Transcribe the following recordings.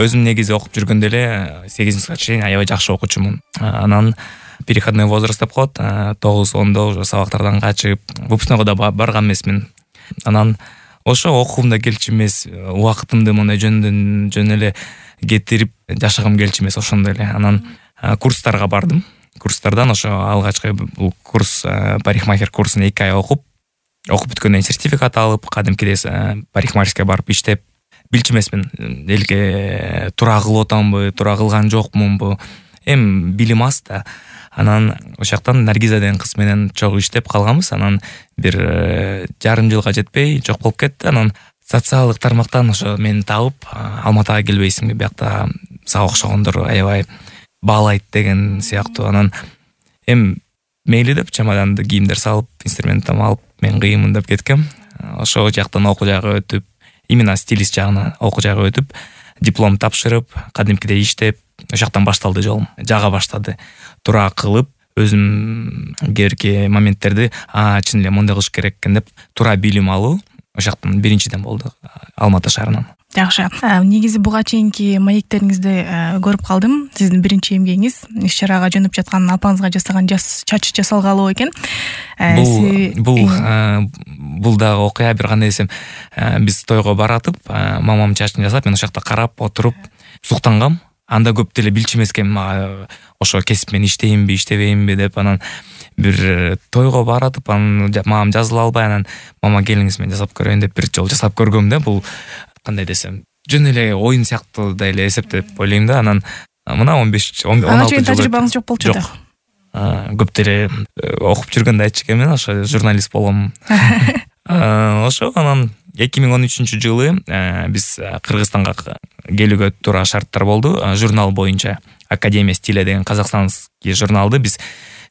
Өзүм негизи окуп жүргөндө эле 8-класска чейин аябай жакшы окуучумун. Анан переходной возраст деп коет. 9-10 уже сабактардан качып, выпускнойго да барган эмесмин. Анан ошо окугум да келчү эмес, убактымды мындай жөн эле кетирип жашагым келчү эмес ошондой эле. Анан курстарга бардым. Курстардан ошо алгачкы бул курс парикмахер курсун 2 ай окуп бүткөндөн сертификат алып, кадимкидей парикмахерская барып иштеп билчү эмесмин. Элге туура кылып атамбы, туура кылган жокмунбу. Билим аз да. Анан ошоктон Наргиза деген кыз менен чогуу иштеп калганбыз. Анан бир жарым жылга жетпей жок болуп кетти. Анан социалдык тармактан ошо мени таап, Алматага келбейсиңби, биякта сага окшогондор аябай баалайт деген сыяктуу. Анан мейли деп чемоданды кийимдер салып, инструментим алып, мен кыйымын деп кеткем. Ошол жактан окуу жагы өтүп, именно стилист жагына окуу жагы өтүп, диплом тапшырып, кадимкидей иштеп, ошоктон башталды жолум. Жага баштады. Туура кылып, өзүм кээки моменттерди чын эле мындай кылыш керек экен деп туура билим алуу ошоктон биринчиден болду, Алматы шаарынан. Жакшы. Негизи буга чейинки маектериңизди көрүп калдым. Сиздин биринчи эмгегиңиз иш-чарага жөнөп жаткан апаңызга жасаган чач жасалгалоо экен. Бул дагы окуя бир кандай десем, биз тойго баратып, мамам чачын жасап, мен ошокто карап отуруп суктангам. Анда көп деле билчү эмес экен, мага ошо кесип мен иштейинби, иштебейинби деп. Анан бир тойго баратып, анан мамам жазыла албай, анан мама келиңиз мен жасап көрөйүн деп бир жолу жасап көргөм да. Бул кандай десем, жөн эле оюн сыяктуу да эле эсептеп ойлойм да. Анан мына 15-16 жыл. Ага чейин тажрыйбаңыз жок болчу да. Көп деле окуп жүргөндө айтчу экенмин, ошо журналист болгом. Ошо анан 2013-жылы биз Кыргызстанга келүүгө туура шарттар болду. Журнал боюнча Академия стиля деген казакстанский журналды биз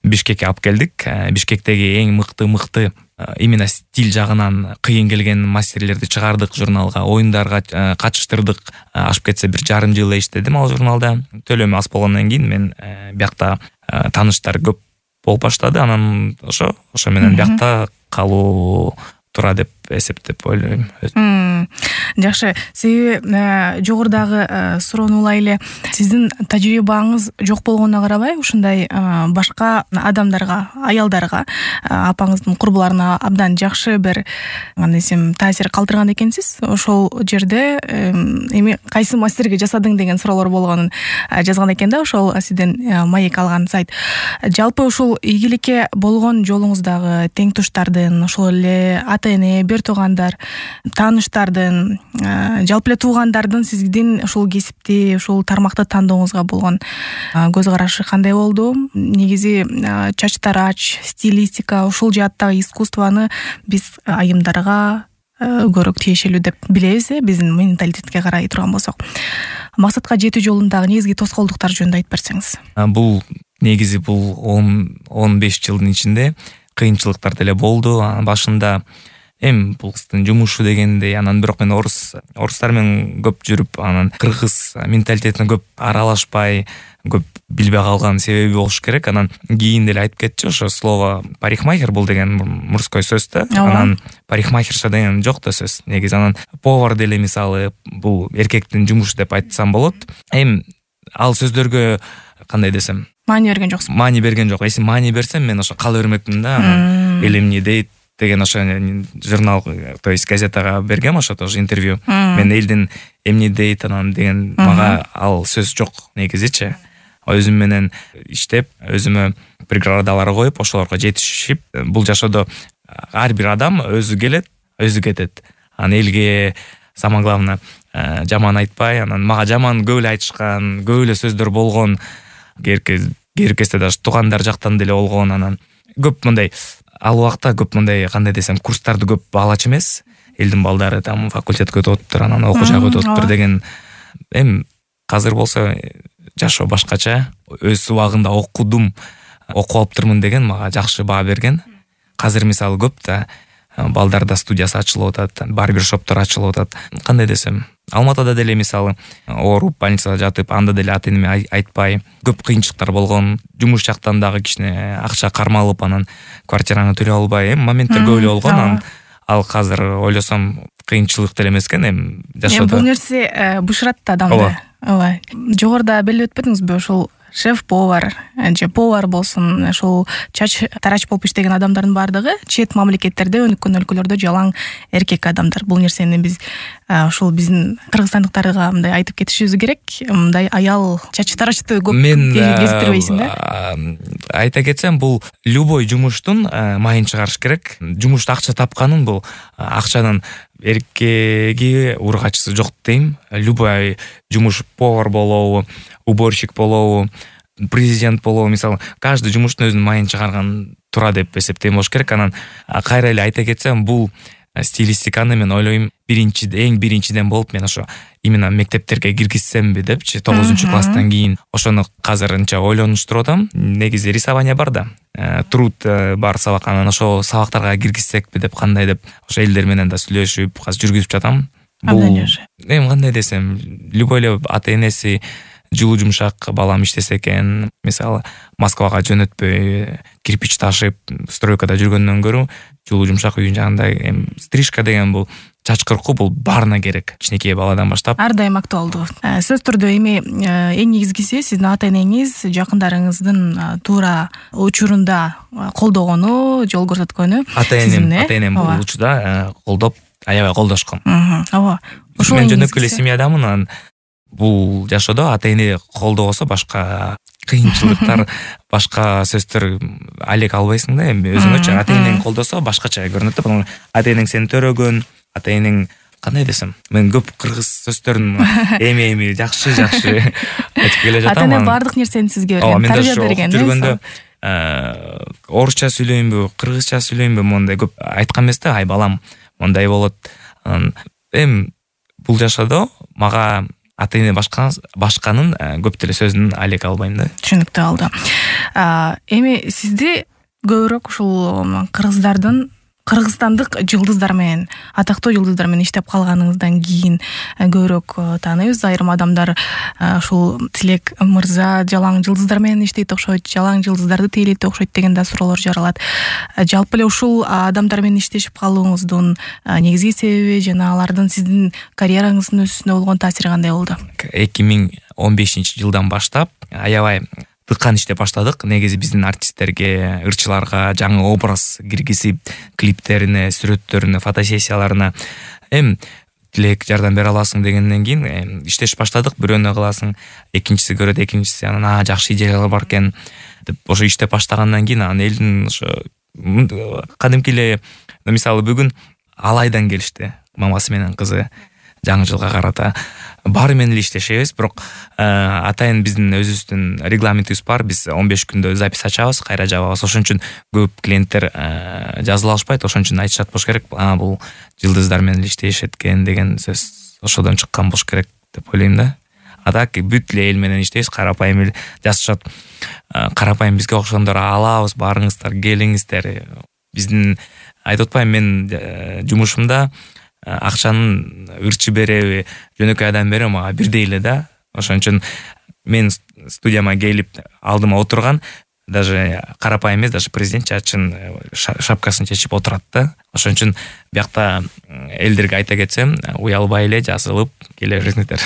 Бишкекке алып келдик. Бишкектеги эң мыкты именно стиль жагынан кыйын келген мастерлерди чыгардык журналга, оюндарга катыштырдык. Ашып кетсе бир жарым жыл иштедим ал журналда. Төлөмү аз болгондон кийин мен биякта тааныштар көп болуп баштады. Анан ошо менен биякта калуу туура деп эсептеп ойлойм. Жакшы. Себеби жогорудагы суроону эле сиздин тажрыйбаңыз жок болгонуна карабай, ушундай башка адамдарга, аялдарга, апаңыздын курбуларына абдан жакшы бир кандай десем таасир калтырган экенсиз. Ошол жерде эми кайсы мастерге жасадың деген суроолор болгонун жазган экен да, ошол сизден маек алган сайт. Жалпы ушул ийгиликке болгон жолуңуздагы тең туштардын, ошол эле ата-эне, бир туугандар, тааныштардын, жалпы эле туугандардын сиздин ушул кесипти, ушул тармакты тандооңузга болгон көз карашы кандай болду? Негизи чач тарач, стилистика, ушул жааттагы искусствону биз айымдарга көбүрөөк тиешелүү деп билебиз, биздин менталитетке карай турган болсок. Максатка жетүү жолундагы негизги тоскоолдуктар жөнүндө айтып берсеңиз. Бул негизи 10-15 жылдын ичинде кыйынчылыктар деле болду. Башында бул кыздын жумушу дегендей, анан бирок мен орустар менен көп жүрүп, анан кыргыз менталитетине көп аралашпай, көп билбей калган себеби болуш керек. Анан кийин деле айтып кетчү, ошо слово парикмахер бул деген мужской сөз да. Анан парикмахерша деген жок да сөз. Негизи анан повар деле мисалы бул эркектин жумушу деп айтсам болот. Ал сөздөргө кандай десем, маани берген жоксуң. Маани берген жок. Эси маани берсем мен ошо кала бермекмин да. Анан эл эмне дейт деген ошо журнал, то есть газетага бергем ошо тоже интервью. Мен элдин эмне дейт анан деген мага ал сөз жок негизичи. Өзүм менен иштеп, өзүмө преградалар коюп, ошолорго жетишип, бул жашоодо ар бир адам өзү келет, өзү кетет. Анан элге самое главное жаман айтпай, анан мага жаман көп эле айтышкан, көп эле сөздөр болгон. Керкесте даже туугандар жактан деле болгон. Анан көп мындай ал убакта көп мындай кандай десем курстарды көп алачу эмес. Элдин балдары там факультетке өтүп атыптыр, анан окуу жагы өтүп атыптыр деген. Азыр болсо жашоо башкача. Өз убагында окудум, окуп алыптырмын деген мага жакшы баа берген. Азыр мисалы көп да балдарда студиясы ачылып атат, барбершоптор ачылып атат. Кандай десем, Алматада деле мисалы ооруп больницада жатып, анда деле ата-энеме айтпай, көп кыйынчылыктар болгон. Жумуш жактан дагы кичине акча кармалып, анан квартираны төлөй албай, моменттер көп эле болгон. Анан ал азыр ойлосом кыйынчылык деле эмес экен, жашоодо. Бул нерсе бышырат да адамды. ооба. Жогоруда белип өтпөдүңүзбү, ушул шеф-повар же повар болсун, ушул чач тарач болуп иштеген адамдардын баардыгы чет мамлекеттерде, өнүккөн өлкөлөрдө жалаң эркек адамдар. Бул нерсени биз ушул биздин кыргызстандыктарга мындай айтып кетишибиз керек. Мындай аял чач тарачты көп кезиктирбейсиң да? Айта кетсем, бул любой жумуштун майын чыгарыш керек. Жумушта акча тапканын, бул акчанын эркеги ургачысы жок дейм. Любой жумуш, повар болобу, уборщик болобу, президент болобу, мисалы, каждый жумуштун өзүнүн майын чыгарган тура деп эсептейм болуш керек. Анан кайра эле айта кетсем, бул стилистиканы мен ойлойм эң биринчиден болуп мен ошо именно мектептерге киргизсемби депчи, 9-класстан кийин ошону азыр анча ойлонуштуруп атам. Негизи рисование бар да, труд бар сабак, анан ошо сабактарга киргизсекпи деп, кандай деп ошо элдер менен да сүйлөшүп азыр жүргүзүп жатам. Бул кандай десем, любой эле ата энеси жылуу жумшак балам иштесе экен, мисалы, Москвага жөнөтпөй кирпич ташып стройкада жүргөндөн көрө жылуу жумшак үйүн жанында стрижка деген бул чач кыркуу, бул баарына керек, кичинекей баладан баштап. Ар дайым актуалдуу. Сөз түрдө эми эң негизгиси сиздин ата энеңиз жакындарыңыздын туура учурунда колдогону, жол көрсөткөнү. Ата энем бул учурда колдоп, аябай колдошкон. Ооба. Мен жөнөкөй эле семьядамын, анан бул жашоодо ата эне колдобосо башка кыйынчылыктар, башка сөздөр алек албайсың да. Эми өзүңөчү ата энең колдосо башкача көрүнөт да. Ата энең сени төрөгөн, ата энең кандай десем, мен көп кыргыз сөздөрүн эми жакшы айтып келе жатам. Ата эне баардык нерсени сизге тарбия берген. Жүргөндө орусча сүйлөйүнбү, кыргызча сүйлөйүнбү, мондай көп айткан эмес да. Ай балам, мондай болот. Эми бул жашоодо мага ата эне башканын көп деле сөзүн алек албайм да. Түшүнүктүү алды. Эми сизди көбүрөөк ушул кыргызстандык жылдыздар менен, атактуу жылдыздар менен иштеп калганыңыздан кийин көбүрөөк тааныйбыз. Айрым адамдар ушул Тилек мырза жалаң жылдыздар менен иштейт окшойт, жалаң жылдыздарды тейлейт окшойт деген да суроолор жаралат. Жалпы эле ушул адамдар менен иштешип калууңуздун негизги себеби жана алардын сиздин карьераңыздын өсүүсүнө болгон таасири кандай болду? 2015-жылдан баштап аябай тыккан иштеп баштадык. Негизи биздин артисттерге, ырчыларга жаңы образ киргизип, клиптерине, сүрөттөрүнө, фотосессияларына Тилек жардам бере аласың дегенден кийин иштеш баштадык. Бирөөнү кыласың, экинчиси көрөт, экинчиси анан жакшы идеялар бар экен деп ошо иштеп баштагандан кийин анан элдин ошо кадимки эле, мисалы бүгүн Алайдан келишти, мамасы менен кызы жаңы жылга карата. Баары менен эле иштешебиз, бирок атайын биздин өзүбүздүн регламентибиз бар. Биз 15 күндө запись ачабыз, кайра жабабыз. Ошон үчүн көп клиенттер жазыла алышпайт. Ошон үчүн айтышат болуш керек. Бул жылдыздар менен иштешет экен деген сөз ошодон чыккан болуш керек деп ойлойм да. Так бүт эле эл менен иштейбиз, карапайым эле жазышат. Карапайым бизге окшогондор алабыз, барыңыздар, келиңиздер. Биздин айтып атпайм, мен жумушумда акчанын ырчы береби, жөнөкөй адам береби мага бирдей эле да. Ошон үчүн мен студияма келип алдыма отурган, даже карапайым эмес, даже президент чачын шапкасын чечип отурат да. Ошон үчүн биякта элдерге айта кетсем, уялбай эле жазылып келе бериңиздер.